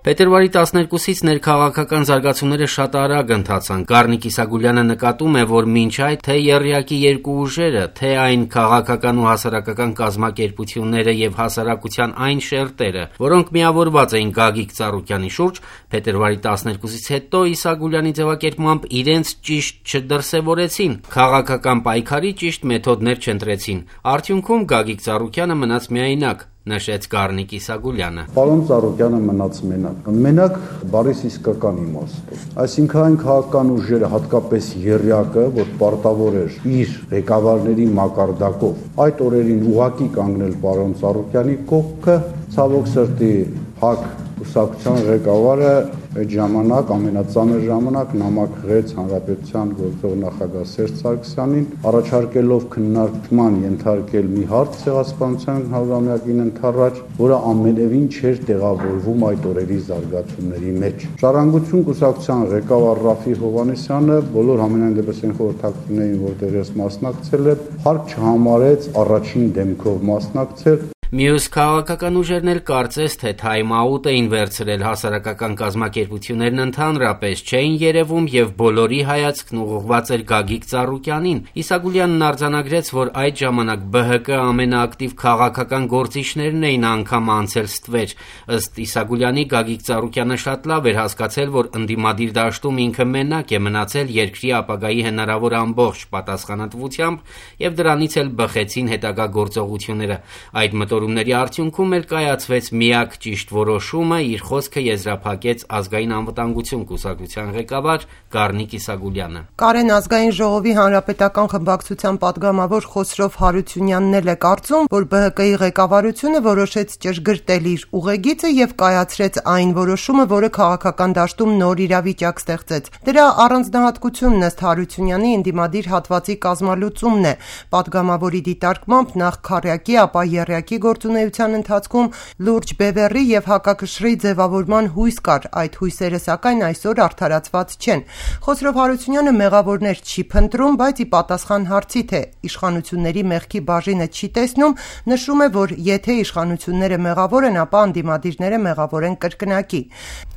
Փետրվարի 12-ից ներքաղաքական զարգացումները շատ արագ ընթացան։ Գառնիկ Իսագուլյանը նկատում է, որ մինչ այդ թե եռյակի երկու ուժերը, թե այն քաղաքական ու հասարակական կազմակերպությունները եւ հասարակության այն շերտերը, որոնք միավորված էին Գագիկ Ծառուկյանի շուրջ, փետրվարի 12-ից հետո Իսագուլյանի ձևակերպմամբ իրենց ճիշտ չդրսևորեցին, քաղաքական պայքարի ճիշտ մեթոդներ չընտրեցին։ Արդյունքում Գագիկ Ծառուկյանը մնաց միայնակ, նշեց Գառնիկ Իսագուլյանը։ Պարոն Ծառուկյանը մնաց մենակ։ Մենակ բառիս իսկական իմաստով։ Այսինքն այն քաղաքական ուժերը, հատկապես եռյակը, որ պարտավոր էր իր ղեկավարների մակարդակով այդ օրերին ուղակի կանգնել պարոն Ծառուկյանի կողքը, ցավոք սրտի ՀԱԿ կուսակցության ղեկավարը այդ ժամանակ ամենածանր ժամանակ նամակղեց հանրապետության գործող նախագահ Սերժ Սարգսյանին, առաջարկելով քննարկման ենթարկել մի հարց ցեղասպանության 100-ամյակին ընդառաջ, որը ամենևին չէր տեղավորվում այդ օրերի զարգացումների մեջ։ Ժառանգություն կուսակցության ղեկավար Ռաֆի Հովհաննիսյանը բոլոր համենայն դեպս այն խորհրդակցություններին, որտեղ ես մասնակցել եմ, հարկ չհամարեց առաջին դեմքով մասնակցել։ Մյուս քաղաքական ուժերն էլ կարծես թե թայմ-աուտ էին վերցրել, հասարակական կազմակերպություններն ընդհանրապես չէին երևում եւ բոլորի հայացքն ուղղված էր Գագիկ Ծառուկյանին։ Իսագուլյանն արձանագրեց, որ այդ ժամանակ ԲՀԿ ամենաակտիվ քաղաքական գործիչներն էին անգամ անցել ստվեր։ Ըստ Իսագուլյանի, Գագիկ Ծառուկյանը շատ լավ էր հասկացել, որ ընդդիմադիր դաշտում ինքը մենակ է մնացել երկրի ապագայի հնարավոր ամբողջ պատասխանատվությամբ եւ դրանից էլ բխեցին հետագա գործողությունները։ Այդ մտորումների արդյունքում էլ կայացվեց միակ ճիշտ որոշումը, իր խոսքը եզրափակեց Ազգային անվտանգություն կուսակցության ղեկավար Գառնիկ Իսագուլյանը։ Կարեն ազգային ժողովի հանրապետական խմբակցության պատգամավոր Խոսրով Հարությունյանն էլ է կարծում, որ ԲՀԿ-ի ղեկավարությունը որոշեց ճշգրտել իր ուղեգիծը եւ կայացրեց այն որոշումը, որը քաղաքական դաշտում նոր իրավիճակ ստեղծեց։ Դրա առանձնահատկությունն ըստ Հարությունյանի ընդդիմադիր հատվածի կազմալուծումն է։ Պատգամավորի դիտարկմամբ նախ քառյակի, ապա եռյակի գործունեության ընթացքում լուրջ բևեռի եւ հակակշռի ձևավորման հույս կար, այդ հույսերը սակայն այսօր արդարացված չեն։ Խոսրով Հարությունյանը մեղավորներ չի փնտրում, բայց ի պատասխան հարցի, թե իշխանությունների մեղքի բաժինը չի տեսնում, նշում է, որ եթե իշխանությունները մեղավոր են, ապա ընդդիմադիրները մեղավոր են կրկնակի։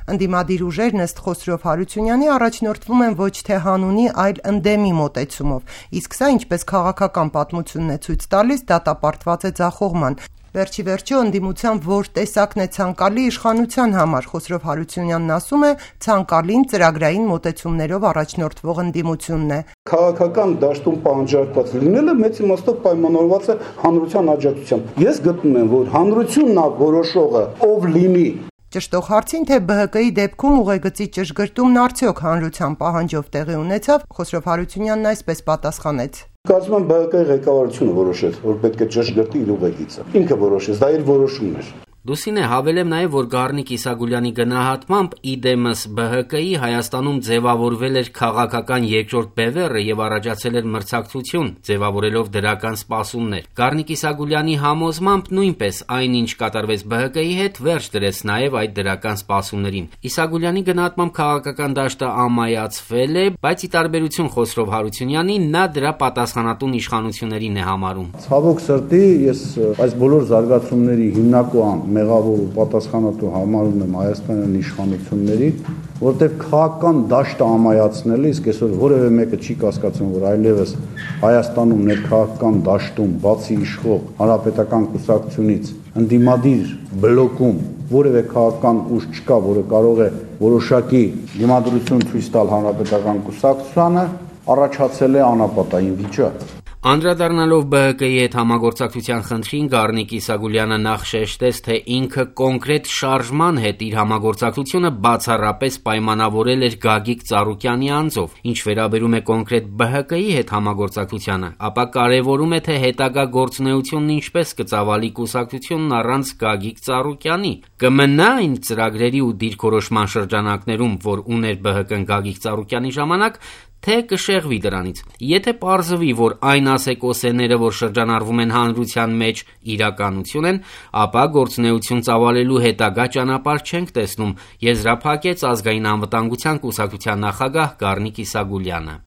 Ընդդիմադիր ուժերն ըստ Խոսրով Հարությունյանի առաջնորդվում են ոչ թե հանունի, այլ ընդդեմի մոտեցումով, իսկ սա ինչպես քաղաքական պատմությունն է ցույց տալիս, դատապարտված է ձախողման։ Վերջի վերջո ընդդիմության որ տեսակն է ցանկալի իշխանության համար, Խոսրով Հարությունյանն ասում է, ցանկալին ծրագրային մոտեցումներով առաջնորդվող ընդդիմությունն է։ Քաղաքական դաշտում պահանջարկված լինելը մեծ իմաստով պայմանավորված է հանրության աջակցությամբ։ Ես գտնում եմ, որ հանրությունն է որոշողը, ով լինի։ Ճշտող հարցին, թե ԲՀԿ-ի դեպքում ուղեգծի ճշգրտումն արդյոք հանրության պահանջով տեղի ունեցավ, Խոսրով Հարությունյանն այսպես պատասխանեց. Կարծում եմ ԲՀԿ-ի ղեկավարությունը որոշեց, որ պետք է ճշգրտի իր ուղեգիծը։ Ինքը որոշեց, դա իր որոշումն էր։ Լուսինե, հավելեմ նաև, որ Գառնիկ Իսագուլյանի գնահատմամբ իդեմս ԲՀԿ-ի Հայաստանում ձևավորվել էր քաղաքական երկրորդ բևեռը եւ առաջացել էր մրցակցություն, ձևավորելով դրական սպասումներ։ Գառնիկ Իսագուլյանի համոզմամբ նույնպես այնինչ կատարվեց ԲՀԿ-ի հետ, վերջ դրեց նաև այդ դրական սպասումներին։ Իսագուլյանի գնահատմամբ քաղաքական դաշտը ամայացվել է, բայց ի տարբերություն Խոսրով Հարությունյանի, նա դրա պատասխանատուն իշխանություններին է համարում։ Ցավոք սրտի, ես այս բոլոր զարգացումների հիմնական մեղավոր ու պատասխանատու համարում եմ Հայաստանյան իշխանությունների, որտեղ քաղաքական դաշտը ամայացնել է, իսկ այսօր որևէ մեկը չի կասկածում, որ այլևս Հայաստանում ներքաղաքական դաշտում, բացի իշխող հանրապետական կուսակցությունից, ընդդիմադիր բլոկում որևէ քաղաքական ուժ չկա, որը կարող է որոշակի դիմադրություն ցույց տալ հանրապետական կուսակցությանը, առաջացել է անապատային վիճակ։ Անդրադառնալով ԲՀԿ-ի հետ համագործակցության խնդրին, Գառնիկ Իսագուլյանը նախ շեշտեց, թե ինքը կոնկրետ շարժման հետ իր համագործակցությունը բացառապես պայմանավորել էր Գագիկ Ծառուկյանի անձով։ Ինչ վերաբերում է կոնկրետ ԲՀԿ-ի հետ համագործակցությանը, ապա կարևորում է, թե հետագա գործունեությունն ինչպես կծավալի կուսակցությունն առանց Գագիկ Ծառուկյանի։ Կմնա այն ծրագրերի ու դիրքորոշման շրջանակներում, որ ուներ ԲՀԿ-ն Գագիկ Ծառուկյանի ժամանակ, թե կշեղվի դրանից։ Եթե պարզվի, որ այն ասեկոսեները, որ շրջանառվում են հանրության մեջ, իրականություն են, ապա գործունեություն ծավալելու հետագա ճանապարհ չենք տեսնում, եզրափակեց Ազգային անվտանգության կուսակցության նախագահ Գառնիկ Իսագուլյանը։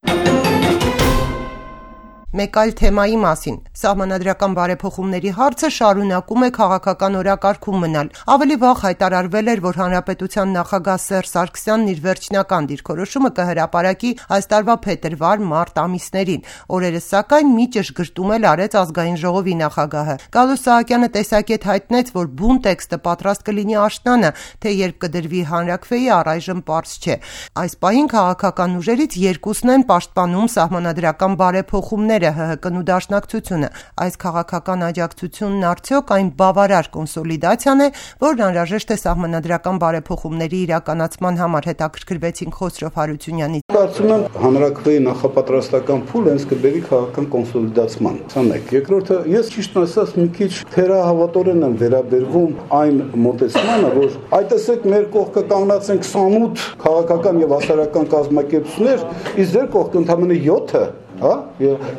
Մեկ այլ թեմայի մասին՝ սահմանադրական բարեփոխումների հարցը շարունակում է քաղաքական օրակարգում մնալ։ Ավելի վաղ հայտարարվել էր, որ Հանրապետության նախագահ Սերժ Սարգսյանն իր վերջնական դիրքորոշումը կհրապարակի այս տարվա փետրվար-մարտ ամիսներին։ Օրերս սակայն մի ճշգրտում էլ արեց Ազգային ժողովի նախագահը։ Գալուստ Սահակյանը տեսակետ հայտնեց, որ բուն տեքստը պատրաստ կլինի աշնանը, թե երբ կդրվի հանրաքվեի, առայժմ պարզ չէ։ Այս պահին քաղաքական ուժերից երկուսն են պաշտպանում սահմանադրական բարեփոխումները՝ ՀՀԿ-ն ու Դաշնակցությունը։ Այս քաղաքական աջակցությունն արդյոք այն բավարար կոնսոլիդացիան է, որն անհրաժեշտ է սահմանադրական բարեփոխումների իրականացման համար, հետաքրքրվեցինք Խոսրով Հարությունյանից։ Կարծում եմ հանրաքվեի նախապատրաստական փուլը հենց կբերի քաղաքական կոնսոլիդացման։ Սա մեկ։ Երկրորդը, ես ճիշտ ասած մի քիչ թերահավատորեն եմ վերաբերվում այն մոտեցմանը, որ այ տեսեք մեր կողքը կանգնած են 28 քաղաքական եւ հասարակական կազմակերպություններ, իսկ ձեր կողքը ընդամենը 7-ը, հա,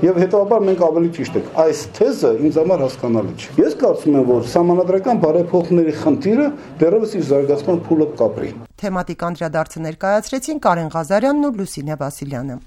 եւ հետաբար մենք ավելի ճիշտ ենք։ Այս թեզը ինձ համար հասկանալի չէ։ Ես կարծում եմ, որ սահմանադրական բարեփոխումների խնդիրը դեռևս իր զարգացման փուլը կապրի։ Թեմատիկ անդրադարձը ներկայացրեցին Կարեն Ղազարյանն ու Լուսինե Վասիլյանը։